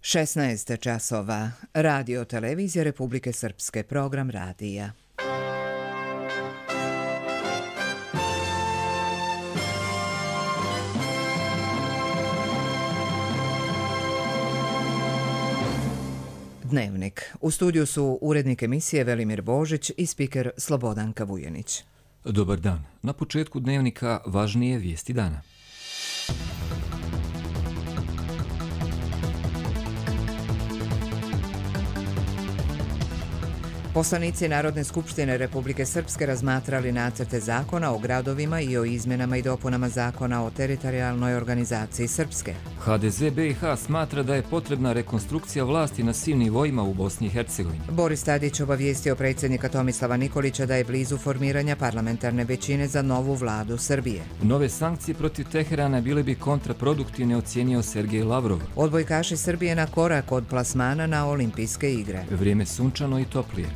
16 časova. Radio televizija Republike Srpske, program radija. Dnevnik. U studiju su urednik emisije Velimir Božić i spiker Slobodanka Vujanić. Dobar dan. Na početku dnevnika važnije vijesti dana. Poslanici Narodne skupštine Republike Srpske razmatrali nacrte zakona o gradovima i o izmjenama i dopunama zakona o teritorijalnoj organizaciji Srpske. HDZ BiH smatra da je potrebna rekonstrukcija vlasti na svim nivoima u Bosni i Hercegovini. Boris Tadić obavijestio predsjednika Tomislava Nikolića da je blizu formiranja parlamentarne većine za novu vladu Srbije. Nove sankcije protiv Teherana bile bi kontraproduktivne, ocijenio Sergej Lavrov. Odbojkaši Srbije na korak od plasmana na olimpijske igre. Vrijeme sunčano i toplije.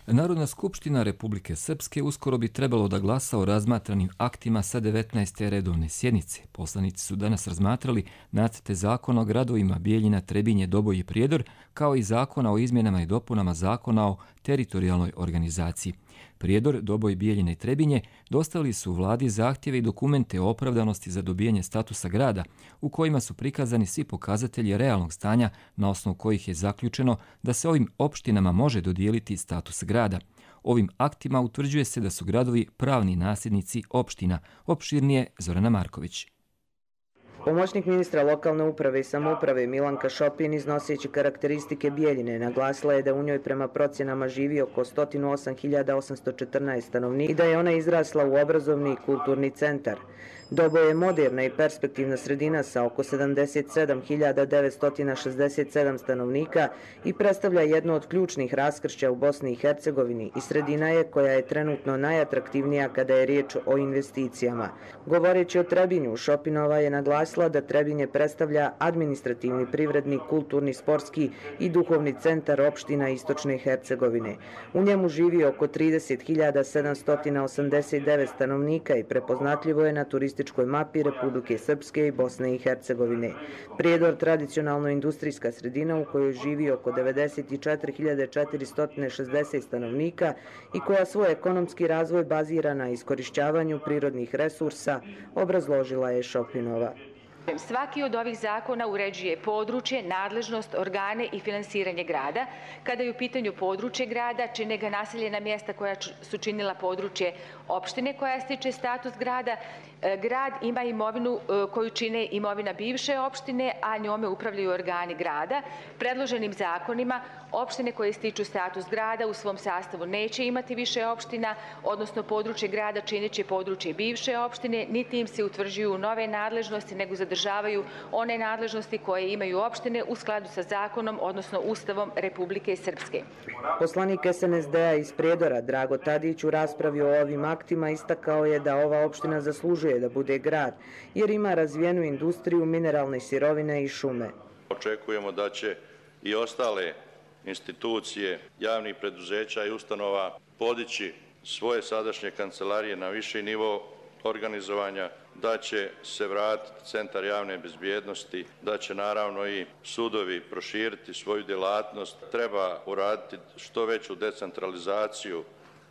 Narodna skupština Republike Srpske uskoro bi trebalo da glasa o razmatranim aktima sa 19. redovne sjednice. Poslanici su danas razmatrali nacrte zakona o gradovima Bijeljina, Trebinje, Doboj i Prijedor, kao i zakona o izmjenama i dopunama zakona o teritorijalnoj organizaciji. Prijedor, Doboj, Bijeljina i Trebinje dostavili su vladi zahtjeve i dokumente o opravdanosti za dobijanje statusa grada, u kojima su prikazani svi pokazatelji realnog stanja na osnovu kojih je zaključeno da se ovim opštinama može dodijeliti status grada. Ovim aktima utvrđuje se da su gradovi pravni nasljednici opština. Opširnije Zorana Marković. Pomoćnik ministra lokalne uprave i samouprave Milanka Šopin, iznoseći karakteristike Bijeljine, naglasila je da u njoj prema procjenama živi oko 108.814 stanovnika i da je ona izrasla u obrazovni i kulturni centar. Doboj je moderna i perspektivna sredina sa oko 77.967 stanovnika i predstavlja jedno od ključnih raskršća u Bosni i Hercegovini i sredina je koja je trenutno najatraktivnija kada je riječ o investicijama. Govoreći o Trebinju, Šopinova je naglasila da Trebinje predstavlja administrativni, privredni, kulturni, sportski i duhovni centar opština Istočne Hercegovine. U njemu živi oko 30.789 stanovnika i prepoznatljivo je na turističkoj mapi Republike Srpske i Bosne i Hercegovine. Prijedor, tradicionalno industrijska sredina u kojoj živi oko 94.460 stanovnika i koja svoj ekonomski razvoj bazira na iskorišćavanju prirodnih resursa, obrazložila je Šopinova. Svaki od ovih zakona uređuje područje, nadležnost, organe i finansiranje grada. Kada je u pitanju područje grada, čine ga naseljena mjesta koja su činila područje opštine koja stiče status grada. Grad ima imovinu koju čine imovina bivše opštine, a njome upravljaju organi grada. Predloženim zakonima opštine koje stiču status grada u svom sastavu neće imati više opština, odnosno područje grada činit će područje bivše opštine, niti im se utvrđuju nove nadležnosti, nego zadržavaju one nadležnosti koje imaju opštine u skladu sa zakonom, odnosno Ustavom Republike Srpske. Poslanik SNSD-a iz Prijedora Drago Tadić u raspravi o ovim aktima istakao je da ova opština zaslužuje da bude grad, jer ima razvijenu industriju, mineralne sirovine i šume. Očekujemo da će i ostale institucije javnih preduzeća i ustanova podići svoje sadašnje kancelarije na viši nivo organizovanja, da će se vratiti centar javne bezbjednosti, da će naravno i sudovi proširiti svoju djelatnost. Treba uraditi što veću decentralizaciju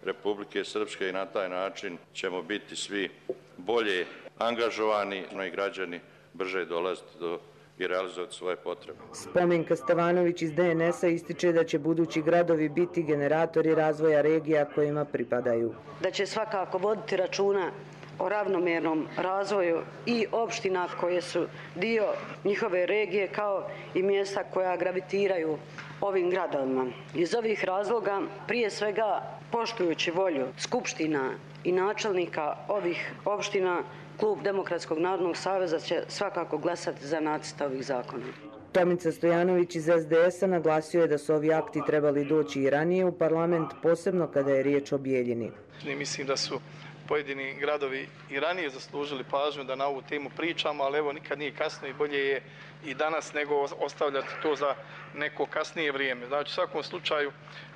Republike Srpske i na taj način ćemo biti svi bolje angažovani i građani brže dolaziti do i realizovati svoje potrebe. Spomenka Stevanović iz DNS-a ističe da će budući gradovi biti generatori razvoja regija kojima pripadaju. Da će svakako voditi računa o ravnomjernom razvoju i opština koje su dio njihove regije, kao i mjesta koja gravitiraju ovim gradovima. Iz ovih razloga, prije svega poštujući volju skupština i načelnika ovih opština, Klub Demokratskog narodnog saveza će svakako glasati za nacrt ovih zakona. Tomica Stojanović iz SDS-a naglasio je da su ovi akti trebali doći i ranije u parlament, posebno kada je riječ o Bijeljini. Mislim da su pojedini gradovi i ranije zaslužili pažnju da na ovu temu pričamo, ali evo nikad nije kasno i bolje je i danas nego ostavljati to za neko kasnije vrijeme. Znači u svakom slučaju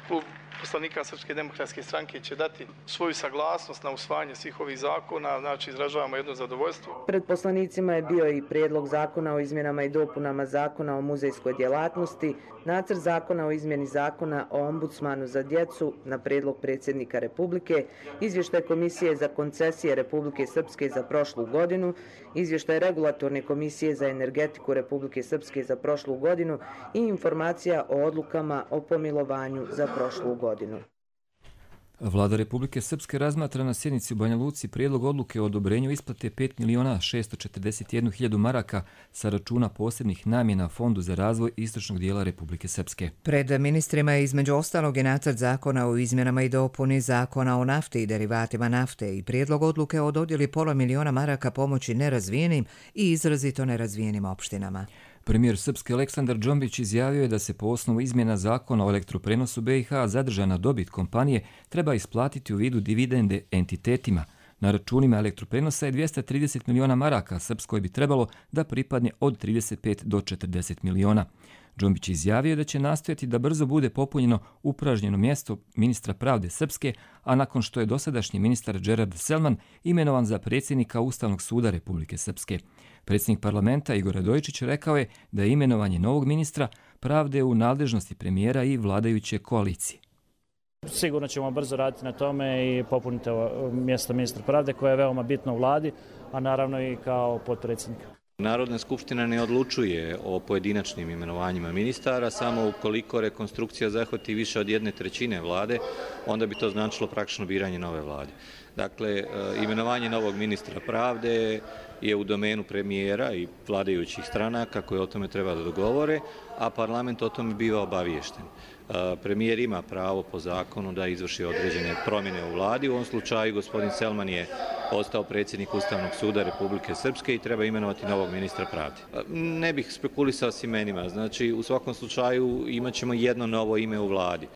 Klub poslanika Srpske demokratske stranke će dati svoju saglasnost na usvajanje svih ovih zakona, znači izražavamo jedno zadovoljstvo. Pred poslanicima je bio i prijedlog zakona o izmjenama i dopunama zakona o muzejskoj djelatnosti, nacrt zakona o izmjeni zakona o ombudsmanu za djecu na prijedlog predsjednika Republike, izvještaj Komisije za koncesije Republike Srpske za prošlu godinu, izvještaj Regulatorne komisije za energetiku Republike Srpske za prošlu godinu i informacija o odlukama o pomilovanju za prošlu godinu. Vlada Republike Srpske razmatra na sjednici u Banja Luci prijedlog odluke o odobrenju isplate 5.641.000 maraka sa računa posebnih namjena Fondu za razvoj istočnog dijela Republike Srpske. Pred ministrima je između ostalog i nacrt zakona o izmjenama i dopuni zakona o nafti i derivatima nafte i prijedlog odluke o dodjeli $500.000 maraka pomoći nerazvijenim i izrazito nerazvijenim opštinama. Premijer Srpske Aleksandar Džombić izjavio je da se po osnovu izmjena zakona o elektroprenosu BiH zadržana dobit kompanije treba isplatiti u vidu dividende entitetima. Na računima elektroprenosa je 230 miliona maraka, Srpskoj bi trebalo da pripadne od 35 do 40 miliona. Džombić izjavio da će nastojati da brzo bude popunjeno upražnjeno mjesto ministra pravde Srpske, a nakon što je dosadašnji ministar Džerard Selman imenovan za predsjednika Ustavnog suda Republike Srpske. Predsjednik parlamenta Igor Radojičić rekao je da je imenovanje novog ministra pravde u nadležnosti premijera i vladajuće koalicije. Sigurno ćemo brzo raditi na tome i popuniti mjesto ministra pravde koje je veoma bitno u vladi, a naravno i kao potpredsjednika. Narodna skupština ne odlučuje o pojedinačnim imenovanjima ministara, samo ukoliko rekonstrukcija zahvati više od 1/3 vlade, onda bi to značilo praktično biranje nove vlade. Dakle, imenovanje novog ministra pravde je u domenu premijera i vladajućih stranaka koje o tome treba da dogovore, a parlament o tome biva obaviješten. Premijer ima pravo po zakonu da izvrši određene promjene u vladi. U ovom slučaju gospodin Selman je postao predsjednik Ustavnog suda Republike Srpske i treba imenovati novog ministra pravde. Ne bih spekulisao s imenima, znači u svakom slučaju imat ćemo jedno novo ime u vladi.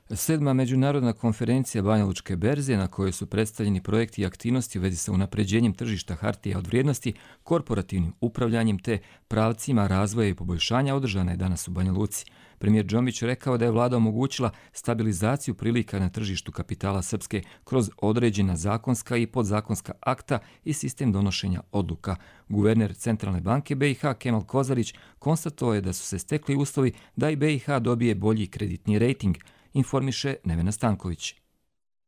7. međunarodna konferencija Banja Lučke berze na kojoj su predstavljeni projekti i aktivnosti u vezi sa unapređenjem tržišta hartija od vrijednosti, korporativnim upravljanjem te pravcima razvoja i poboljšanja održana je danas u Banja Luci. Premijer Džombić rekao da je vlada omogućila stabilizaciju prilika na tržištu kapitala Srpske kroz određena zakonska i podzakonska akta i sistem donošenja odluka. Guverner Centralne banke BiH Kemal Kozarić konstatovao je da su se stekli uslovi da i BiH dobije bolji kreditni rejting, informiše Nevena Stanković.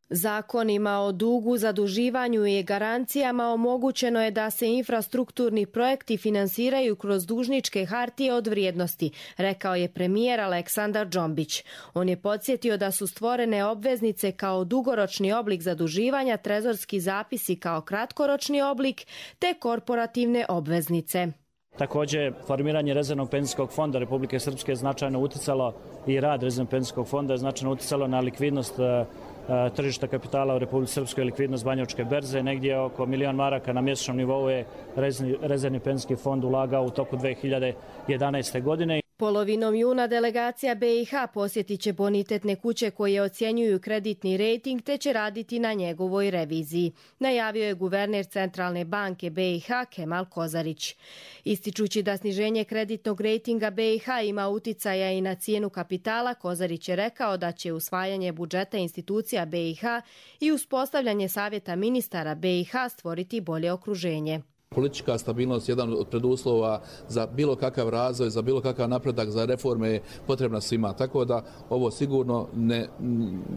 Zakonima o dugu, zaduživanju i garancijama omogućeno je da se infrastrukturni projekti finansiraju kroz dužničke hartije od vrijednosti, rekao je premijer Aleksandar Džombić. On je podsjetio da su stvorene obveznice kao dugoročni oblik zaduživanja, trezorski zapisi kao kratkoročni oblik, te korporativne obveznice. Također, formiranje rezervnog penzijskog fonda Republike Srpske je značajno uticalo i rad rezervnog penzijskog fonda je značajno uticalo na likvidnost tržišta kapitala u Republike Srpskoj, likvidnost Banja Lučke berze. Negdje oko $1.000.000 maraka na mjesečnom nivou je rezervni penzijski fond ulagao u toku 2011. godine. Polovinom juna delegacija BiH posjetit će bonitetne kuće koje ocjenjuju kreditni rejting te će raditi na njegovoj reviziji, najavio je guverner Centralne banke BiH Kemal Kozarić. Ističući da sniženje kreditnog rejtinga BiH ima uticaja i na cijenu kapitala, Kozarić je rekao da će usvajanje budžeta institucija BiH i uspostavljanje savjeta ministara BiH stvoriti bolje okruženje. Politička stabilnost je jedan od preduslova za bilo kakav razvoj, za bilo kakav napredak, za reforme je potrebna svima. Tako da ovo sigurno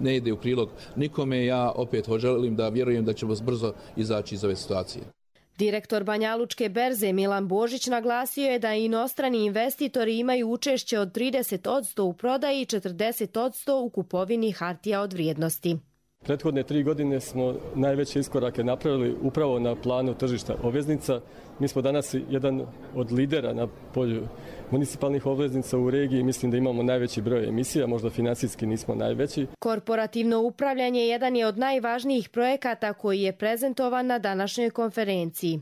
ne ide u prilog nikome. Ja opet želim da vjerujem da ćemo brzo izaći iz ove situacije. Direktor Banja Lučke berze Milan Božić naglasio je da inostrani investitori imaju učešće od 30% u prodaji i 40% u kupovini hartija od vrijednosti. Prethodne 3 godine smo najveće iskorake napravili upravo na planu tržišta obveznica. Mi smo danas jedan od lidera na polju municipalnih obveznica u regiji. Mislim da imamo najveći broj emisija, možda financijski nismo najveći. Korporativno upravljanje jedan je od najvažnijih projekata koji je prezentovan na današnjoj konferenciji.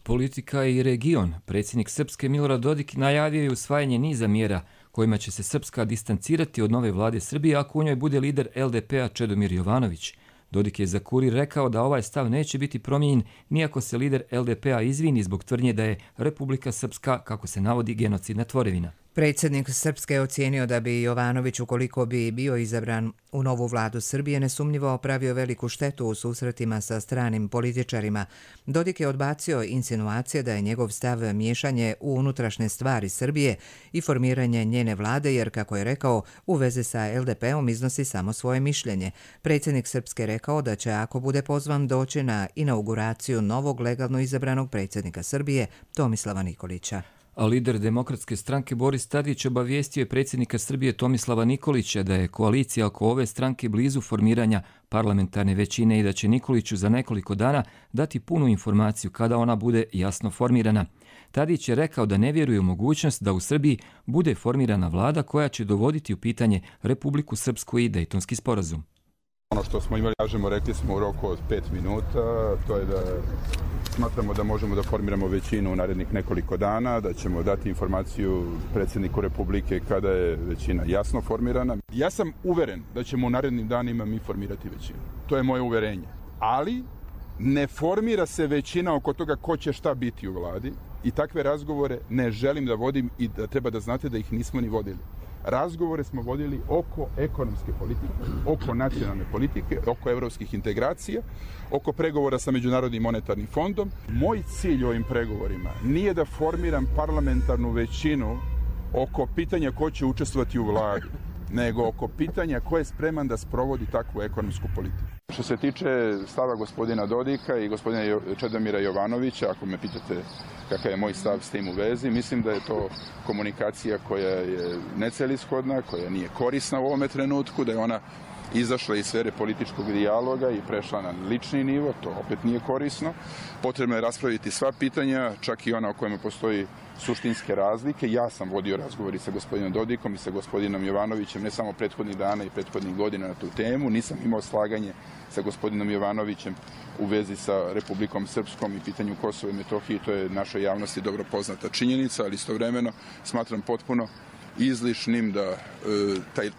Politika i region. Predsjednik Srpske Milorad Dodik najavio je usvajanje niza mjera kojima će se Srpska distancirati od nove vlade Srbije ako u njoj bude lider LDP-a Čedomir Jovanović. Dodik je za Kurir rekao da ovaj stav neće biti promijenjen nijako se lider LDP-a izvini zbog tvrdnje da je Republika Srpska, kako se navodi, genocidna tvorevina. Predsjednik Srpske je ocijenio da bi Jovanović, ukoliko bi bio izabran u novu vladu Srbije, nesumnjivo pravio veliku štetu u susretima sa stranim političarima. Dodik je odbacio insinuacije da je njegov stav miješanje u unutrašnje stvari Srbije i formiranje njene vlade, jer, kako je rekao, u vezi sa LDP-om iznosi samo svoje mišljenje. Predsjednik Srpske rekao da će, ako bude pozvan, doći na inauguraciju novog legalno izabranog predsjednika Srbije, Tomislava Nikolića. A lider Demokratske stranke Boris Tadić obavijestio je predsjednika Srbije Tomislava Nikolića da je koalicija oko ove stranke blizu formiranja parlamentarne većine i da će Nikoliću za nekoliko dana dati punu informaciju kada ona bude jasno formirana. Tadić je rekao da ne vjeruje u mogućnost da u Srbiji bude formirana vlada koja će dovoditi u pitanje Republiku Srpsku i Dejtonski sporazum. Ono što smo imali, rekli smo u roku od 5 minuta, to je da smatramo da možemo da formiramo većinu u narednih nekoliko dana, da ćemo dati informaciju predsjedniku Republike kada je većina jasno formirana. Ja sam uveren da ćemo u narednim danima mi formirati većinu. To je moje uverenje. Ali ne formira se većina oko toga ko će šta biti u vladi i takve razgovore ne želim da vodim i da treba da znate da ih nismo ni vodili. Razgovore smo vodili oko ekonomske politike, oko nacionalne politike, oko evropskih integracija, oko pregovora sa Međunarodnim monetarnim fondom. Moj cilj u ovim pregovorima nije da formiram parlamentarnu većinu oko pitanja ko će učestvovati u vladi, nego oko pitanja ko je spreman da sprovodi takvu ekonomsku politiku. Što se tiče stava gospodina Dodika i gospodina Čedomira Jovanovića, ako me pitate kakav je moj stav s tim u vezi, mislim da je to komunikacija koja je necelishodna, koja nije korisna u ovome trenutku, da je ona izašla iz sfere političkog dijaloga i prešla na lični nivo, to opet nije korisno. Potrebno je raspraviti sva pitanja, čak i ona o kojima postoji suštinske razlike. Ja sam vodio razgovori sa gospodinom Dodikom i sa gospodinom Jovanovićem ne samo prethodnih dana i prethodnih godina na tu temu. Nisam imao slaganje sa gospodinom Jovanovićem u vezi sa Republikom Srpskom i pitanju Kosova i Metohije. To je našoj javnosti dobro poznata činjenica, ali istovremeno smatram potpuno izlišnim da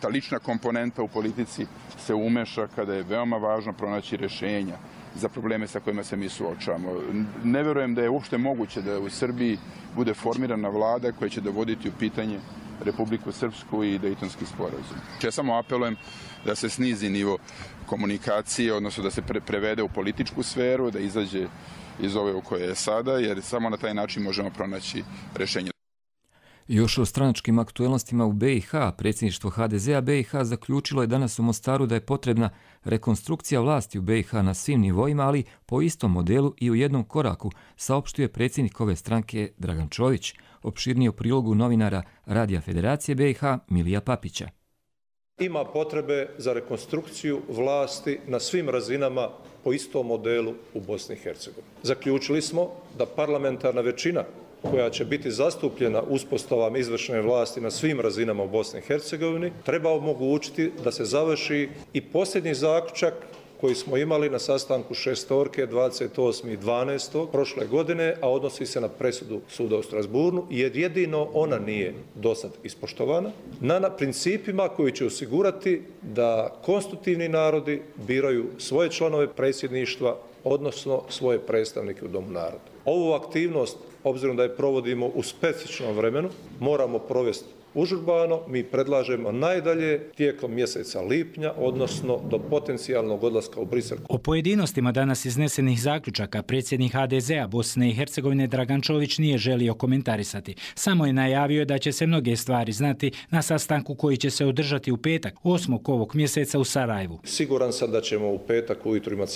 ta lična komponenta u politici se umeša kada je veoma važno pronaći rješenja za probleme sa kojima se mi suočavamo. Ne verujem da je uopšte moguće da u Srbiji bude formirana vlada koja će dovoditi u pitanje Republiku Srpsku i Dejtonski sporazum. Ja samo apelujem da se snizi nivo komunikacije, odnosno da se prevede u političku sferu, da izađe iz ove u kojoj je sada, jer samo na taj način možemo pronaći rješenje. Još o stranačkim aktuelnostima u BiH, predsjedništvo HDZ-a BiH zaključilo je danas u Mostaru da je potrebna rekonstrukcija vlasti u BiH na svim nivoima, ali po istom modelu i u jednom koraku, saopštio je predsjednik ove stranke Dragan Čović. Opširnije u prilogu novinara Radija Federacije BiH Milija Papića. Ima potrebe za rekonstrukciju vlasti na svim razinama po istom modelu u Bosni i Hercegovini. Zaključili smo da parlamentarna većina koja će biti zastupljena uspostavom izvršne vlasti na svim razinama u Bosni i Hercegovini treba omogućiti da se završi i posljednji zaključak koji smo imali na sastanku šestorke 28.12. prošle godine, a odnosi se na presudu suda u Strasbourgu, jer jedino ona nije dosad ispoštovana, na principima koji će osigurati da konstitutivni narodi biraju svoje članove predsjedništva, odnosno svoje predstavnike u Domu naroda. Ovu aktivnost, obzirom da je provodimo u specifičnom vremenu, moramo provesti užurbano. Mi predlažemo najdalje tijekom mjeseca lipnja, odnosno do potencijalnog odlaska u Brisel. O pojedinostima danas iznesenih zaključaka predsjednik HDZ-a Bosne i Hercegovine Dragan Čović nije želio komentarisati. Samo je najavio da će se mnoge stvari znati na sastanku koji će se održati u petak, 8. ovog mjeseca u Sarajevu. Siguran sam da ćemo u petak ujutro imati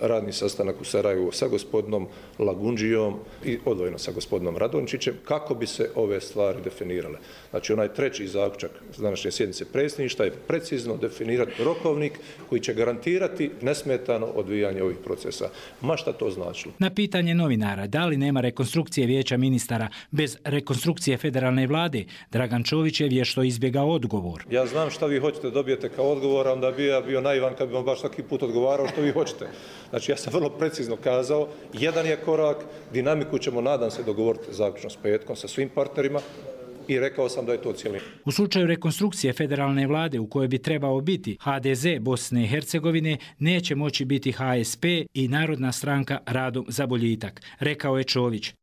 radni sastanak u Sarajevu sa gospodinom Lagundžijom i odvojeno sa gospodinom Radončićem kako bi se ove stvari definirale. Znači, onaj treći zaključak današnje sjednice predsjedništva je precizno definirati rokovnik koji će garantirati nesmetano odvijanje ovih procesa. Ma šta to značilo? Na pitanje novinara da li nema rekonstrukcije vijeća ministara bez rekonstrukcije federalne vlade, Dragan Čović je vješto izbjegao odgovor. Ja znam šta vi hoćete dobijete kao odgovor, onda bi ja bio naivan kad bi vam baš svaki put odgovarao što vi hoćete. Znači, ja sam vrlo precizno kazao, jedan je korak, dinamiku ćemo, nadam se, dogovoriti zaključno s petkom sa svim partnerima. i rekao sam da je to cijelina. U slučaju rekonstrukcije federalne vlade u kojoj bi trebao biti HDZ Bosne i Hercegovine, neće moći biti HSP i Narodna stranka Radom za boljitak, rekao je Čović.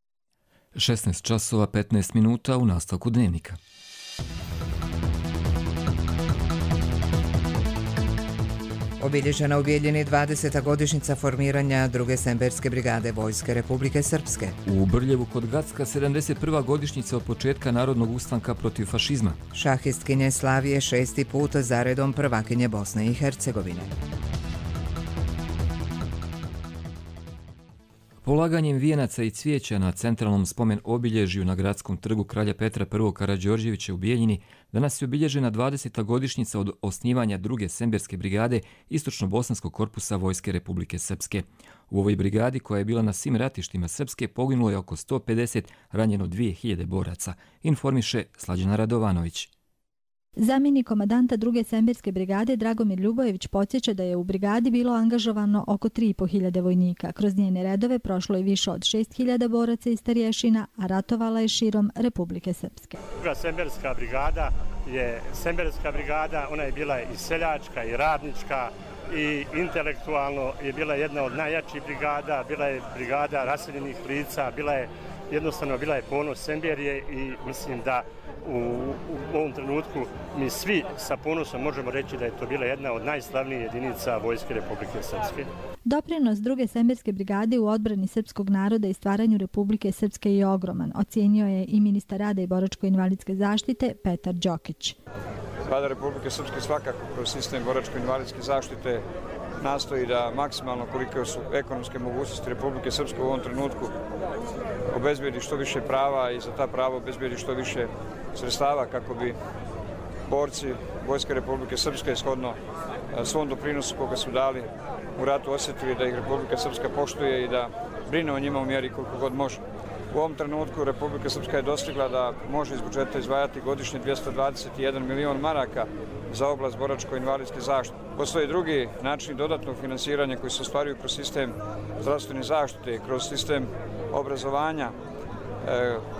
16 časova 15 minuta u nastavku dnevnika. Obilježena u Bijeljini 20. godišnjica formiranja druge Semberske brigade Vojske Republike Srpske. U Brljevu kod Gacka 71. godišnjica od početka narodnog ustanka protiv fašizma. Šahistkinje Slavije 6. put zaredom prvakinje Bosne i Hercegovine. Polaganjem vijenaca i cvijeća na centralnom spomen obilježju na gradskom trgu Kralja Petra I. Karađorđevića u Bijeljini danas je obilježena 20. godišnjica od osnivanja druge Semberske brigade Istočno-bosanskog korpusa Vojske Republike Srpske. U ovoj brigadi, koja je bila na svim ratištima Srpske, poginulo je oko 150, ranjeno 2000 boraca, informiše Slađana Radovanović. Zamjenik komandanta druge Semberske brigade Dragomir Ljubojević podsjeća da je u brigadi bilo angažovano oko 3.500 vojnika. Kroz njene redove prošlo je više od 6.000 boraca i starješina, a ratovala je širom Republike Srpske. Druga Semberska brigada je Semberska brigada, ona je bila i seljačka i radnička i intelektualno je bila jedna od najjačih brigada, bila je brigada raseljenih lica, bila je ponos Semberije i mislim da u ovom trenutku mi svi sa ponosom možemo reći da je to bila jedna od najslavnijih jedinica Vojske Republike Srpske. Doprinos druge Semberske brigade u odbrani srpskog naroda i stvaranju Republike Srpske je ogroman, ocijenio je i ministar rada i boračko-invalidske zaštite Petar Đokić. Vlada Republike Srpske svakako kroz sistem boračko-invalidske zaštite nastoji da maksimalno, koliko su ekonomske mogućnosti Republike Srpske u ovom trenutku, obezbedi što više prava i za ta prava obezbedi što više sredstava kako bi borci Vojske Republike Srpske shodno svom doprinosu koga su dali u ratu osjetili da ih Republika Srpska poštuje i da brine o njima u mjeri koliko god može. U ovom trenutku Republika Srpska je dostigla da može iz budžeta izdvajati godišnje 221 milion maraka za oblast boračko-invalidske zaštite. Postoje drugi načini dodatnog finansiranja koji se ostvaruju kroz sistem zdravstvene zaštite, kroz sistem obrazovanja,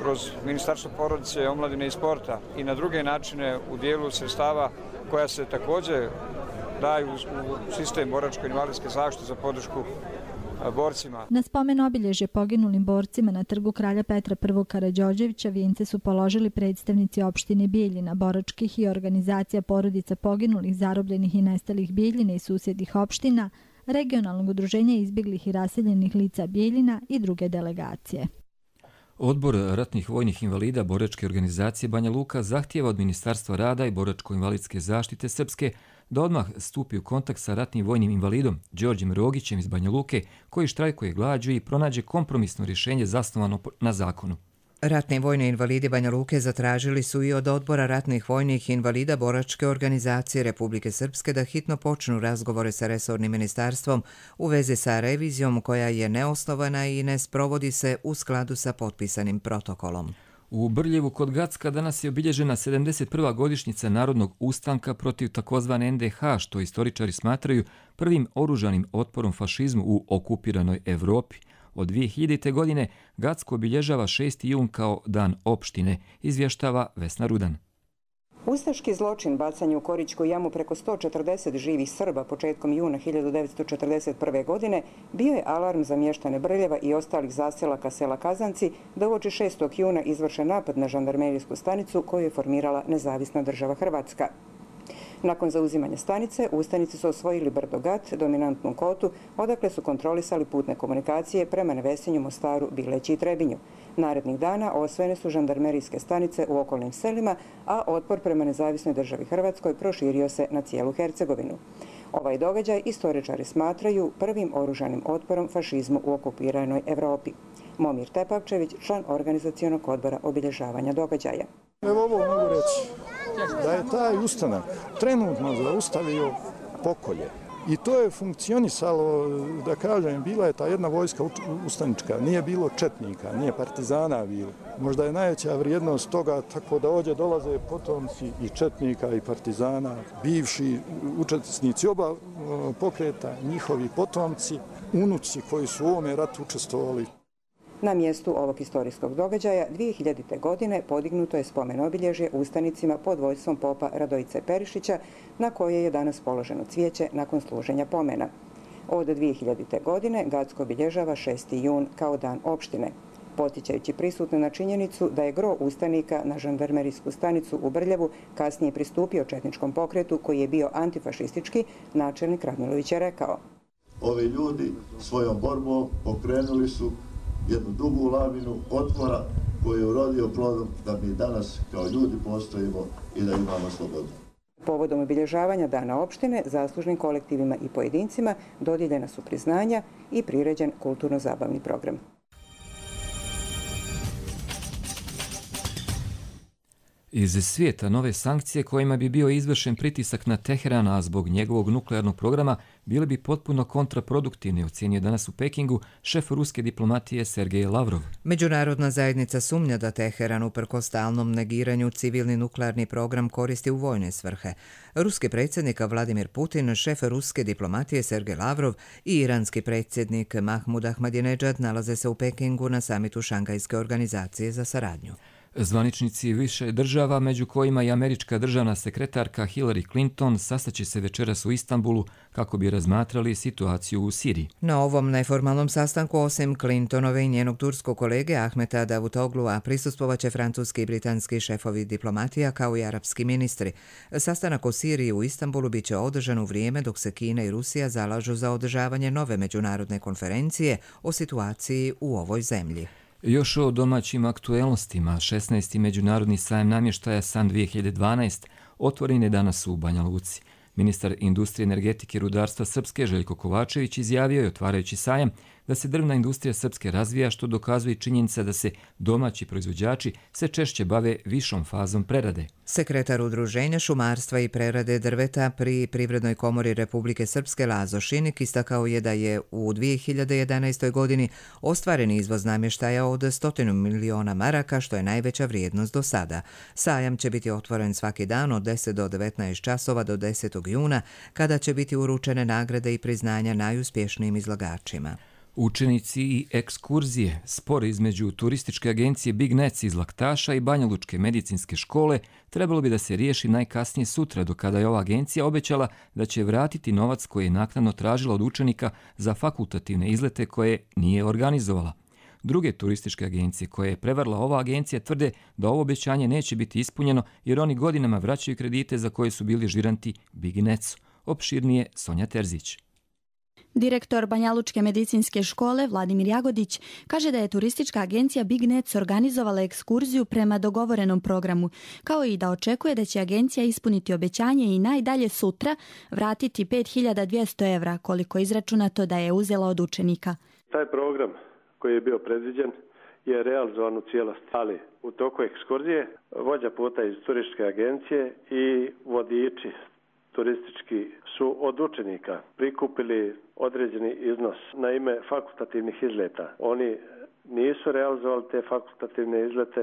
kroz Ministarstvo porodice, omladine i sporta i na druge načine u dijelu sredstava koja se također daju u sistem boračko-invalidske zaštite za podršku borcima. Na spomen obilježje poginulim borcima na trgu Kralja Petra I. Karađorđevića vijence su položili predstavnici opštine Bijeljina, boračkih i organizacija porodica poginulih, zarobljenih i nestalih Bijeljine i susjednih opština, regionalnog udruženja izbjeglih i raseljenih lica Bijeljina i druge delegacije. Odbor ratnih vojnih invalida boračke organizacije Banja Luka zahtijeva od Ministarstva rada i boračko-invalidske zaštite Srpske da odmah stupi u kontakt sa ratnim vojnim invalidom Đorđem Rogićem iz Banja Luke, koji štrajkuje glađu i pronađe kompromisno rješenje zasnovano na zakonu. Ratni vojni invalidi Banja Luke zatražili su i od Odbora ratnih vojnih invalida boračke organizacije Republike Srpske da hitno počnu razgovore sa resornim ministarstvom u vezi sa revizijom koja je neosnovana i ne sprovodi se u skladu sa potpisanim protokolom. U Brljevu kod Gacka danas je obilježena 71. godišnjica narodnog ustanka protiv takozvane NDH, što istoričari smatraju prvim oružanim otporom fašizmu u okupiranoj Evropi. Od 2000. godine Gacko obilježava 6. jun kao dan opštine, izvještava Vesna Rudan. Ustaški zločin bacanje u Korićku jamu preko 140 živih Srba početkom juna 1941. godine bio je alarm za mještane Brljeva i ostalih zaselaka sela Kazanci da uoči 6. juna izvrše napad na žandarmerijsku stanicu koju je formirala nezavisna država Hrvatska. Nakon zauzimanja stanice, ustanici su osvojili brdo Gat, dominantnu kotu, odakle su kontrolisali putne komunikacije prema Nevesinju, Mostaru, Bileći i Trebinju. Narednih dana osvojene su žandarmerijske stanice u okolnim selima, a otpor prema nezavisnoj državi Hrvatskoj proširio se na cijelu Hercegovinu. Ovaj događaj istoričari smatraju prvim oružanim otporom fašizmu u okupiranoj Evropi. Momir Tepavčević, član organizacionog odbora obilježavanja događaja. Evo ovo mogu reći, da je taj ustanak trenutno zaustavio pokolje. I to je funkcionisalo, da kažem, bila je ta jedna vojska ustanička, nije bilo četnika, nije partizana bilo. Možda je najveća vrijednost toga tako da ovdje dolaze potomci i četnika i partizana, bivši učesnici oba pokreta, njihovi potomci, unuci koji su u ovome ratu učestvovali. Na mjestu ovog historijskog događaja 2000. godine podignuto je spomen obilježje ustanicima pod vodstvom popa Radojice Perišića, na koje je danas položeno cvijeće nakon služenja pomena. Od 2000. godine Gacko obilježava 6. jun kao dan opštine, potičajući prisutne na činjenicu da je gro ustanika na žandarmerijsku stanicu u Brljevu kasnije pristupio četničkom pokretu koji je bio antifašistički, načelnik Radmilović je rekao: Ovi ljudi svojom borbom pokrenuli su jednu dugu lavinu otpora koji je urodio plodom da mi danas kao ljudi postojimo i da imamo slobodu. Povodom obilježavanja dana opštine zaslužnim kolektivima i pojedincima dodijeljena su priznanja i priređen kulturno-zabavni program. Iz svijeta nove sankcije kojima bi bio izvršen pritisak na Teheran, a zbog njegovog nuklearnog programa bile bi potpuno kontraproduktivne, ocjenio danas u Pekingu šef ruske diplomatije Sergej Lavrov. Međunarodna zajednica sumnja da Teheran uprkos stalnom negiranju civilni nuklearni program koristi u vojne svrhe. Ruski predsjednik Vladimir Putin, šef ruske diplomatije Sergej Lavrov i iranski predsjednik Mahmud Ahmadinejad nalaze se u Pekingu na samitu Šangajske organizacije za saradnju. Zvaničnici više država, među kojima i američka državna sekretarka Hillary Clinton, sastaće se večeras u Istanbulu kako bi razmatrali situaciju u Siriji. Na ovom neformalnom sastanku, osim Clintonove i njenog turskog kolege Ahmeta Davutoglua, prisustvovaće francuski i britanski šefovi diplomatija kao i arapski ministri. Sastanak o Siriji u Istanbulu biće održan u vrijeme dok se Kina i Rusija zalažu za održavanje nove međunarodne konferencije o situaciji u ovoj zemlji. Još o domaćim aktuelnostima, 16. međunarodni sajam namještaja SAN 2012 otvoren je danas u Banja Luci. Ministar industrije, energetike i rudarstva Srpske Željko Kovačević izjavio je, otvarajući sajam, da se drvna industrija Srpske razvija, što dokazuje činjenica da se domaći proizvođači sve češće bave višom fazom prerade. Sekretar Udruženja šumarstva i prerade drveta pri Privrednoj komori Republike Srpske Lazo Šinik istakao je da je u 2011. godini ostvaren izvoz namještaja od 100 miliona maraka, što je najveća vrijednost do sada. Sajam će biti otvoren svaki dan od 10 do 19 časova do 10. juna, kada će biti uručene nagrade i priznanja najuspješnijim izlagačima. Učenici i ekskurzije, spor između turističke agencije Big Nets iz Laktaša i Banjalučke medicinske škole trebalo bi da se riješi najkasnije sutra, do kada je ova agencija obećala da će vratiti novac koji je naknadno tražila od učenika za fakultativne izlete koje nije organizovala. Druge turističke agencije koje je prevarila ova agencija tvrde da ovo obećanje neće biti ispunjeno jer oni godinama vraćaju kredite za koje su bili žiranti Big Netsu. Opširnije Sonja Terzić. Direktor Banjalučke medicinske škole Vladimir Jagodić kaže da je turistička agencija Big Nets organizovala ekskurziju prema dogovorenom programu, kao i da očekuje da će agencija ispuniti obećanje i najdalje sutra vratiti 5200 evra, koliko je izračunato da je uzela od učenika. Taj program koji je bio predviđen je realizovan u cijelosti, ali u toku ekskurzije vođa puta iz turističke agencije i vodiči turistički su od učenika prikupili određeni iznos na ime fakultativnih izleta. Oni nisu realizovali te fakultativne izlete,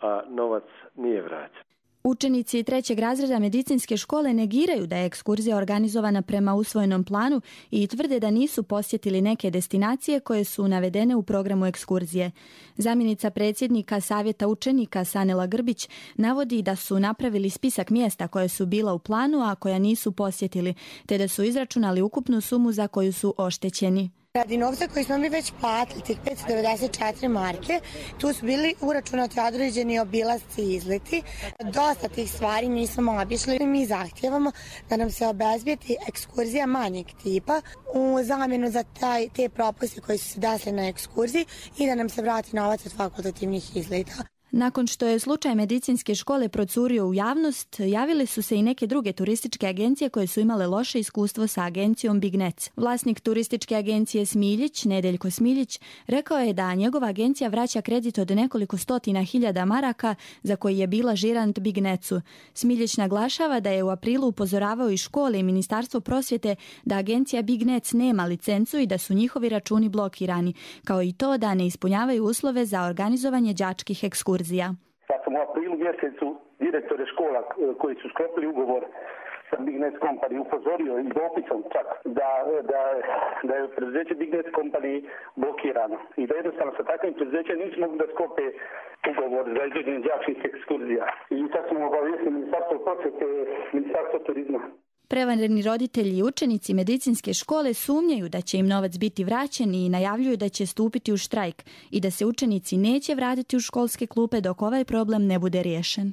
a novac nije vraćen. Učenici 3. razreda medicinske škole negiraju da je ekskurzija organizovana prema usvojenom planu i tvrde da nisu posjetili neke destinacije koje su navedene u programu ekskurzije. Zamjenica predsjednika Savjeta učenika Sanela Grbić navodi da su napravili spisak mjesta koje su bila u planu, a koja nisu posjetili, te da su izračunali ukupnu sumu za koju su oštećeni. Radi novca koji smo mi već platili, tih 594 marke, tu su bili uračunati određeni obilasci i izleti. Dosta tih stvari nismo obišli i mi zahtijevamo da nam se obezbijeti ekskurzija manjeg tipa u zamjenu za te propuste koji su se desili na ekskurziji i da nam se vrati novac od fakultativnih izleta. Nakon što je slučaj medicinske škole procurio u javnost, javile su se i neke druge turističke agencije koje su imale loše iskustvo sa agencijom Big Nets. Vlasnik turističke agencije Smiljić, Nedeljko Smiljić, rekao je da njegova agencija vraća kredit od nekoliko stotina hiljada maraka za koji je bila žirant Big Netsu. Smiljić naglašava da je u aprilu upozoravao i škole i Ministarstvo prosvjete da agencija Big Nets nema licencu i da su njihovi računi blokirani, kao i to da ne ispunjavaju uslove za organizovanje đačkih ekskurzija. Sad sam u aprilu mjesecu direktore škola koji su sklopili ugovor sa sam Bignet Company upozorio i dopisom čak da je preduzeće Bignet Company blokirano i da jednostavno sa takvim preduzećem nisu mogli da sklope ugovor za izvođenje đačkih ekskurzija. I sad smo obavijestili Ministarstvo prosvete, Ministarstvo turizma. Prevareni roditelji i učenici medicinske škole sumnjaju da će im novac biti vraćen i najavljuju da će stupiti u štrajk i da se učenici neće vratiti u školske klupe dok ovaj problem ne bude riješen.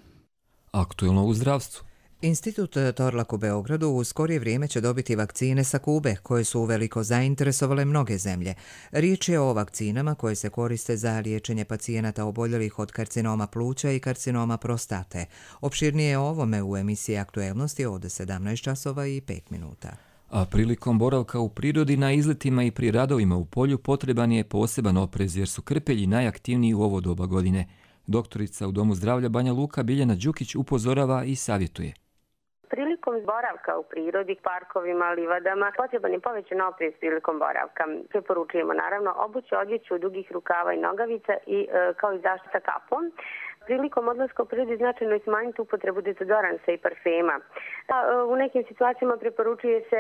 Aktuelno u zdravstvu. Institut Torlak u Beogradu u skorije vrijeme će dobiti vakcine sa Kube, koje su uveliko zainteresovale mnoge zemlje. Riječ je o vakcinama koje se koriste za liječenje pacijenata oboljelih od karcinoma pluća i karcinoma prostate. Opširnije o ovome u emisiji Aktuelnosti od 17 časova i 5 minuta. A prilikom boravka u prirodi na izletima i pri radovima u polju potreban je poseban oprez jer su krpelji najaktivniji u ovo doba godine. Doktorica u Domu zdravlja Banja Luka Biljana Đukić upozorava i savjetuje. Prilikom boravka u prirodi, parkovima, livadama, potreban je povećan oprez prilikom boravka. Preporučujemo naravno obuću odjeću dugih rukava i nogavica i kao i zaštita kapom. Prilikom odlaska u prirodi značajno je smanjiti upotrebu dezodoransa i parfema. U nekim situacijama preporučuje se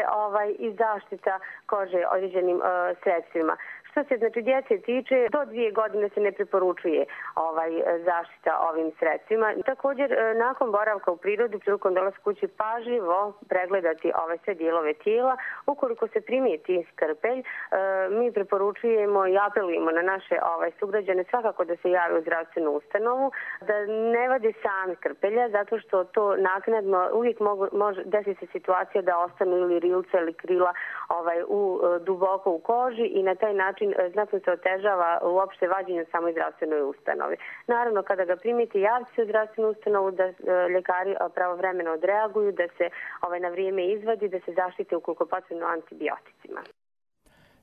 i zaštita kože određenim sredstvima. Što se djece tiče, do 2 godine se ne preporučuje zaštita ovim sredstvima. Također, nakon boravka u prirodi, prilikom dolaska kući pažljivo pregledati ove sve dijelove tijela. Ukoliko se primijeti skrpelj, mi preporučujemo i apelujemo na naše sugrađane svakako da se jave u zdravstvenu ustanovu, da ne vade sami skrpelja, zato što to naknadno uvijek može desiti se situacija da ostanu ili rilce ili krila duboko u koži i na taj način znatno se otežava uopšte vađenje u samoj zdravstvenoj ustanovi. Naravno, kada ga primite, javite se u zdravstvenu ustanovu da ljekari pravovremeno odreaguju, da se na vrijeme izvadi, da se zaštite ukoliko potrebno antibioticima.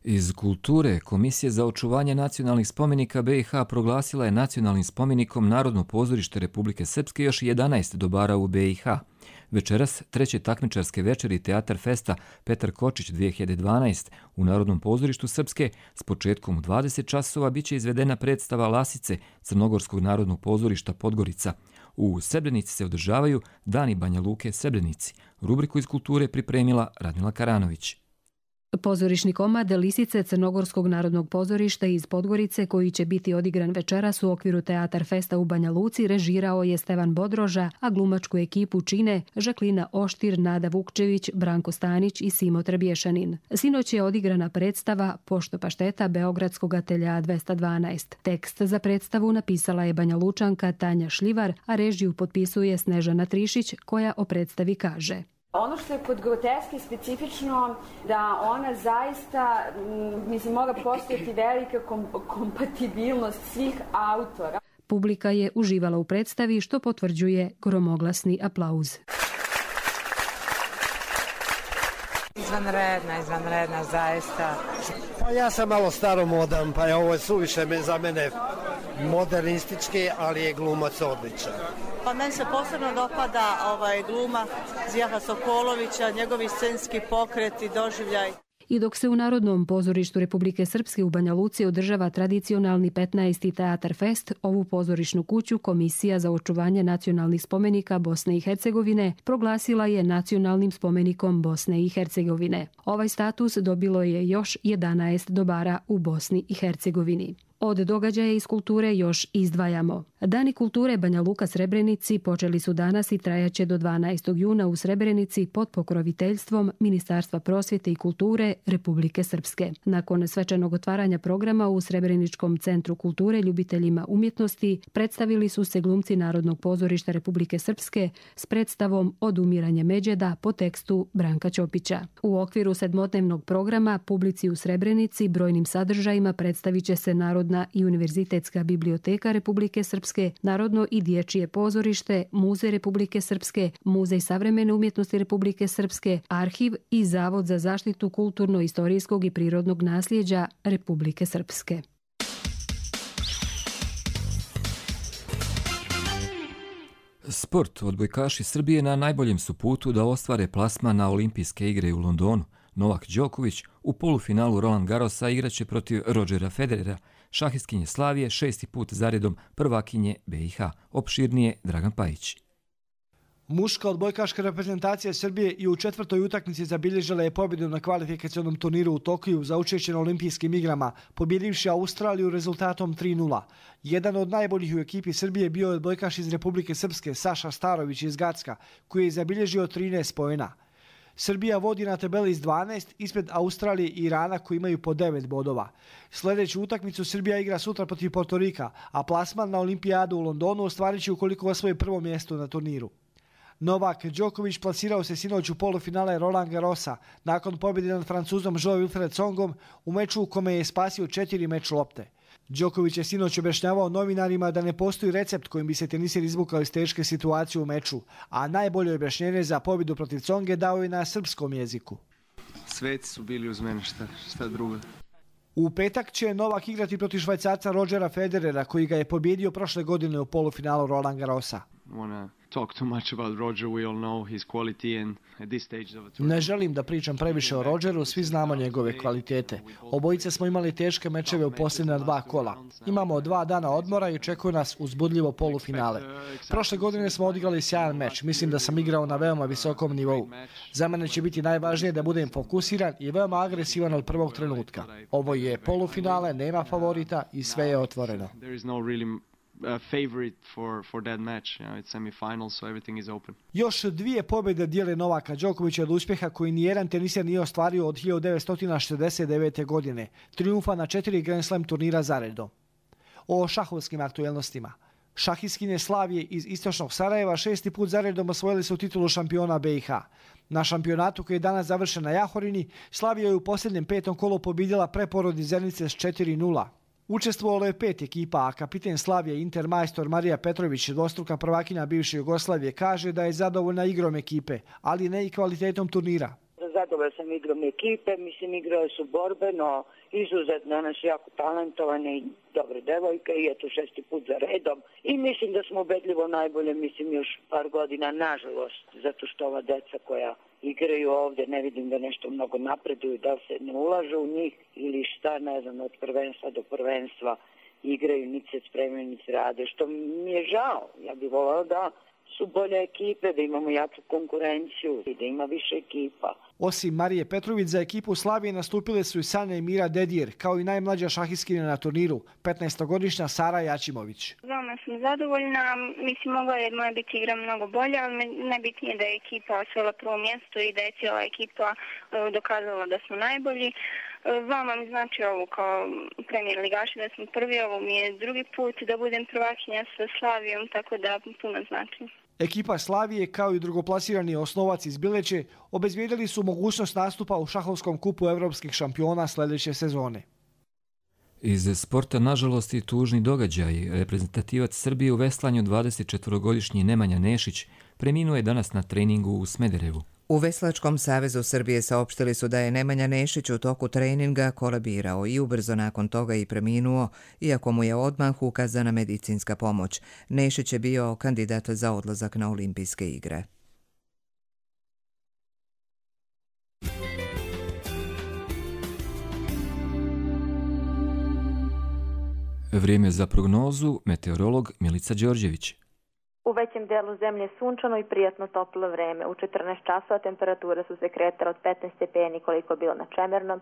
Iz kulture, Komisija za očuvanje nacionalnih spomenika BiH proglasila je nacionalnim spomenikom Narodno pozorište Republike Srpske još 11 dobara u BiH. Večeras, treće takmičarske večeri Teatar Festa Petar Kočić 2012 u Narodnom pozorištu Srpske s početkom u 20 časova biće izvedena predstava Lasice Crnogorskog narodnog pozorišta Podgorica. U Srebrenici se održavaju Dani Banja Luke Srebrenici. Rubriku iz kulture pripremila Radmila Karanović. Pozorišni komad Lisice Crnogorskog narodnog pozorišta iz Podgorice, koji će biti odigran večeras u okviru Teatar Festa u Banja Luci, režirao je Stevan Bodroža, a glumačku ekipu čine Žaklina Oštir, Nada Vukčević, Branko Stanić i Simo Trebješanin. Sinoć je odigrana predstava Pošto pašteta Beogradskog atelja 212. Tekst za predstavu napisala je Banja Lučanka Tanja Šljivar, a režiju potpisuje Snežana Trišić, koja o predstavi kaže: Ono što je kod groteske specifično, da ona zaista, mora postojati velika kompatibilnost svih autora. Publika je uživala u predstavi, što potvrđuje gromoglasni aplauz. Izvanredna, zaista. Pa ja sam malo staromodan, pa je ovo suviše za mene modernistički, ali je glumac odličan. Pa meni se posebno dopada gluma Zijaha Sokolovića, njegovi scenski pokreti, doživljaj. I dok se u Narodnom pozorištu Republike Srpske u Banja Luci održava tradicionalni 15. Teatar Fest, ovu pozorišnu kuću Komisija za očuvanje nacionalnih spomenika Bosne i Hercegovine proglasila je nacionalnim spomenikom Bosne i Hercegovine. Ovaj status dobilo je još 11 dobara u Bosni i Hercegovini. Od događaja iz kulture još izdvajamo. Dani kulture Banja Luka Srebrenici počeli su danas i trajaće do 12. juna u Srebrenici pod pokroviteljstvom Ministarstva prosvjete i kulture Republike Srpske. Nakon svečanog otvaranja programa u Srebreničkom centru kulture ljubiteljima umjetnosti predstavili su se glumci Narodnog pozorišta Republike Srpske s predstavom Odumiranje Međeda po tekstu Branka Ćopića. U okviru 7-dnevnog programa publici u Srebrenici brojnim sadržajima predstavit će se Narodna i Univerzitetska biblioteka Republike Srpske, Narodno i dječje pozorište, Muzej Republike Srpske, Muzej savremene umjetnosti Republike Srpske, Arhiv i Zavod za zaštitu kulturno-istorijskog i prirodnog nasljeđa Republike Srpske. Sport. Odbojkaši Srbije na najboljem su putu da ostvare plasman na Olimpijske igre u Londonu. Novak Đoković u polufinalu Roland Garrosa igraće protiv Rodgera Federera, šahistkinje Slavije 6. put zaredom prvakinje BiH. Opširnije Dragan Pajić. Muška odbojkaška reprezentacija Srbije i u 4. utakmici zabilježila je pobjedu na kvalifikacionom turniru u Tokiju za učešće na olimpijskim igrama, pobjedivši Australiju rezultatom 3:0. Jedan od najboljih u ekipi Srbije bio je odbojkaš iz Republike Srpske Saša Starović iz Gacka, koji je zabilježio 13 poena. Srbija vodi na tabeli s 12 ispred Australije i Irana koji imaju po 9 bodova. Sljedeću utakmicu Srbija igra sutra protiv Portorika, a plasman na olimpijadu u Londonu ostvarit će ukoliko osvoji prvo mjesto na turniru. Novak Đoković plasirao se sinoć u polufinale Roland Garrosa nakon pobjede nad Francuzom Wilfried Tsongom u meču u kome je spasio 4 meč lopte. Đoković je sinoć objašnjavao novinarima da ne postoji recept kojim bi se teniser izvukao iz teške situacije u meču, a najbolje objašnjenje za pobjedu protiv Tsonge dao je na srpskom jeziku. Sveci su bili uz mene, šta drugo. U petak će Novak igrati protiv Švajcarca Rodgera Federera, koji ga je pobjedio prošle godine u polufinalu Roland Garrosa. Ne želim da pričam previše o Rodgeru, svi znamo njegove kvalitete. Obojice smo imali teške mečeve u posljednja 2 kola. Imamo 2 dana odmora i očekuje nas uzbudljivo polufinale. Prošle godine smo odigrali sjajan meč, mislim da sam igrao na veoma visokom nivou. Za mene će biti najvažnije da budem fokusiran i veoma agresivan od prvog trenutka. Ovo je polufinale, nema favorita i sve je otvoreno. Favorite for that match. It's semi-final, so everything is open. Još 2 pobjede dijele Novaka Đokovića od uspjeha koji nijedan teniser nije ostvario od 1969. godine. Trijumfa na 4 Grand Slam turnira zaredom. O šahovskim aktuelnostima. Šahistkinje Slavije iz istočnog Sarajeva 6. put zaredom osvojili su titulu šampiona BiH. Na šampionatu koji je danas završen na Jahorini, Slavija je u posljednjem 5. kolu pobjedila preporod iz Zenice s 4:0. Učestvovalo je 5 ekipa, a kapiten Slavije Intermajstor Marija Petrović, dvostruka prvakinja bivše Jugoslavije, kaže da je zadovoljna igrom ekipe, ali ne i kvalitetom turnira. Zadovoljna sam igrom ekipe, mislim igrali su borbeno, izuzetno, one su jako talentovane i dobre devojke i eto 6. put za redom. I mislim da smo ubedljivo najbolje, mislim još par godina, nažalost, zato što ova deca koja igraju ovdje, ne vidim da nešto mnogo napreduju, da se ne ulažu u njih ili šta, ne znam, od prvenstva do prvenstva igraju, niti se spremaju, niti rade, što mi je žao. Ja bih volao da su bolje ekipe, da imamo jaču konkurenciju i da ima više ekipa. Osim Marije Petrović, za ekipu Slavije nastupile su i Sanja i Mira Dedijer, kao i najmlađa šahistkinja na turniru, 15-godišnja Sara Jačimović. Veoma sam zadovoljna, mislim mogla je moja biti igra mnogo bolja, ali najbitnije da je ekipa osvojila prvo mjesto i da je cijela ekipa dokazala da smo najbolji. Vama mi znači ovo kao premijer ligaši da smo prvi, ovo mi je drugi put da budem prvakinja sa Slavijom, tako da puno znači. Ekipa Slavije, kao i drugoplasirani Osnovac iz Bileće, obezbijedili su mogućnost nastupa u šahovskom kupu evropskih šampiona sljedeće sezone. Iz sporta, nažalost, i tužni događaj. Reprezentativac Srbije u veslanju 24-godišnji Nemanja Nešić preminuo je danas na treningu u Smederevu. U Veslačkom savezu Srbije saopštili su da je Nemanja Nešić u toku treninga kolabirao i ubrzo nakon toga i preminuo, iako mu je odmah ukazana medicinska pomoć. Nešić je bio kandidat za odlazak na olimpijske igre. Vrijeme za prognozu, meteorolog Milica Đorđević. U većem delu zemlje sunčano i prijatno toplo vreme. U 14 časova temperature su se kretale od 15 stepeni koliko bilo na Čemernom,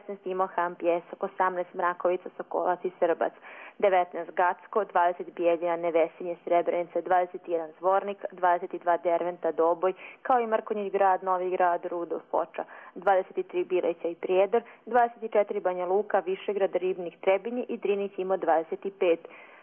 16 Imohan, Pjesak, 18 Mrakovica, Sokolac i Srbac, 19 Gacko, 20 Bijeljina, Nevesinje, Srebrenica, 21 Zvornik, 22 Derventa, Doboj, kao i Mrkonjić grad, Novi grad, Rudolf, Foča, 23 Bileća i Prijedor, 24 Banja Luka, Višegrad, Ribnik, Trebinje i Drinić ima 25.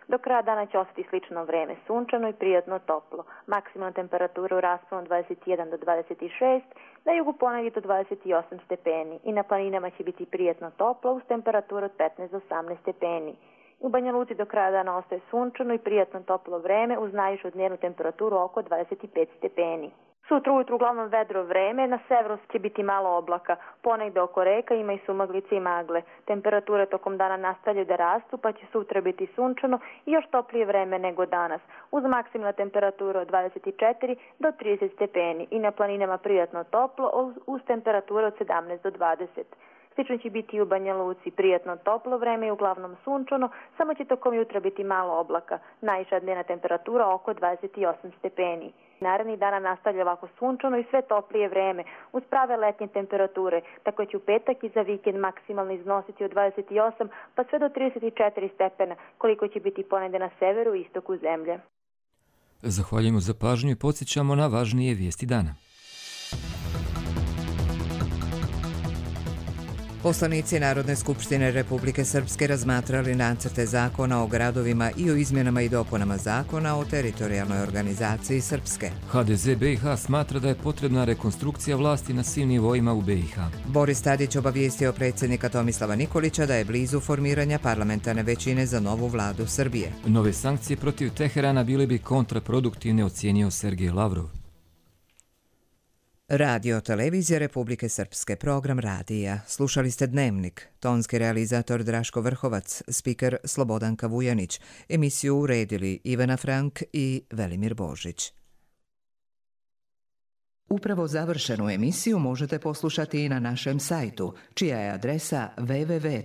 Do kraja dana će ostati slično vreme, sunčano i prijatno toplo. Maksimalna temperatura u rasponu 21 do 26, na jugu ponegdje do 28 stepeni i na planinama će biti prijatno toplo uz temperaturu od 15 do 18 stepeni. U Banja Luci do kraja dana ostaje sunčano i prijatno toplo vreme uz najvišu dnevnu temperaturu oko 25 stepeni. Sutra ujutru uglavnom vedro vreme, na severu će biti malo oblaka, ponegde oko reka ima i sumaglice i magle. Temperature tokom dana nastavljaju da rastu, pa će sutra biti sunčano i još toplije vreme nego danas, uz maksimalna temperatura od 24 do 30 stepeni i na planinama prijatno toplo uz temperature od 17 do 20. Slično će biti i u Banja Luci, prijatno toplo vreme i uglavnom sunčano, samo će tokom jutra biti malo oblaka, najviša dnevna temperatura oko 28 stepeni. Narednih dana nastavlja ovako sunčano i sve toplije vreme uz prave letnje temperature, tako će u petak i za vikend maksimalno iznositi od 28 pa sve do 34 stepena, koliko će biti ponegde na severu i istoku zemlje. Zahvaljujemo za pažnju i podsjećamo na važnije vijesti dana. Poslanici Narodne skupštine Republike Srpske razmatrali nacrte zakona o gradovima i o izmjenama i dopunama zakona o teritorijalnoj organizaciji Srpske. HDZ BiH smatra da je potrebna rekonstrukcija vlasti na svim nivoima u BiH. Boris Tadić obavijestio predsjednika Tomislava Nikolića da je blizu formiranja parlamentarne većine za novu vladu Srbije. Nove sankcije protiv Teherana bile bi kontraproduktivne, ocijenio Sergej Lavrov. Radio Televizija Republike Srpske, program radija. Slušali ste Dnevnik, tonski realizator Draško Vrhovac, spiker Slobodanka Vujanić, emisiju uredili Ivana Frank i Velimir Božić. Upravo završenu emisiju možete poslušati i na našem sajtu, čija je adresa www.rtrs.tv.